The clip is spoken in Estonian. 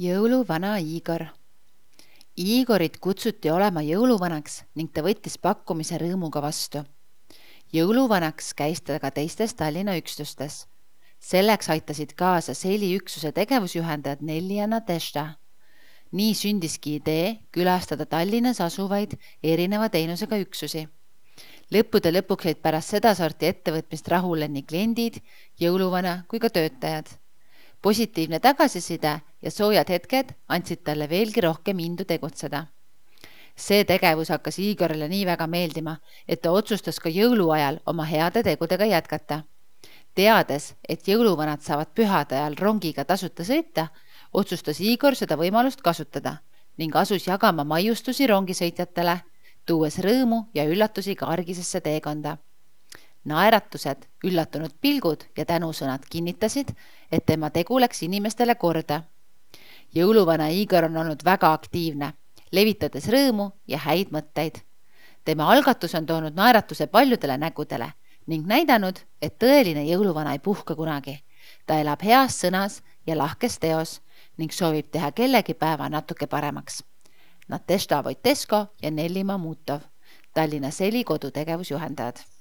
Jõuluvana Igor. Igorit kutsuti olema jõuluvanaks ning ta võttis pakkumise rõõmuga vastu. Jõuluvanaks käis ta ka teistes Tallinna üksustes. Selleks aitasid kaasa Seli üksuse tegevusjuhendajad Nelli ja Nadežda. Nii sündiski idee külastada Tallinnas asuvaid erineva teenusega üksusi. Lõppude lõpuks jäid pärast seda sorti ettevõtmist rahule nii kliendid, jõuluvana kui ka töötajad. Positiivne tagasiside ja soojad hetked andsid talle veelgi rohkem indu tegutseda. See tegevus hakkas Igorile nii väga meeldima, et ta otsustas ka jõuluajal oma heade tegudega jätkata. Teades, et jõuluvanad saavad pühade ajal rongiga tasuta sõita, otsustas Igor seda võimalust kasutada ning asus jagama maiustusi rongisõitjatele, tuues rõõmu ja üllatusi ka argisesse teekonda. Naeratused, üllatunud pilgud ja tänusõnad kinnitasid, et tema tegu läks inimestele korda. Jõuluvana Igor on olnud väga aktiivne, levitades rõõmu ja häid mõtteid. Tema algatus on toonud naeratuse paljudele nägudele ning näidanud, et tõeline jõuluvana ei puhka kunagi. Ta elab heas sõnas ja lahkes teos ning soovib teha kellegi päeva natuke paremaks. Nadežda Voitesko ja Nelli Mamutov, Tallinna Seli kodutegevusjuhendajad.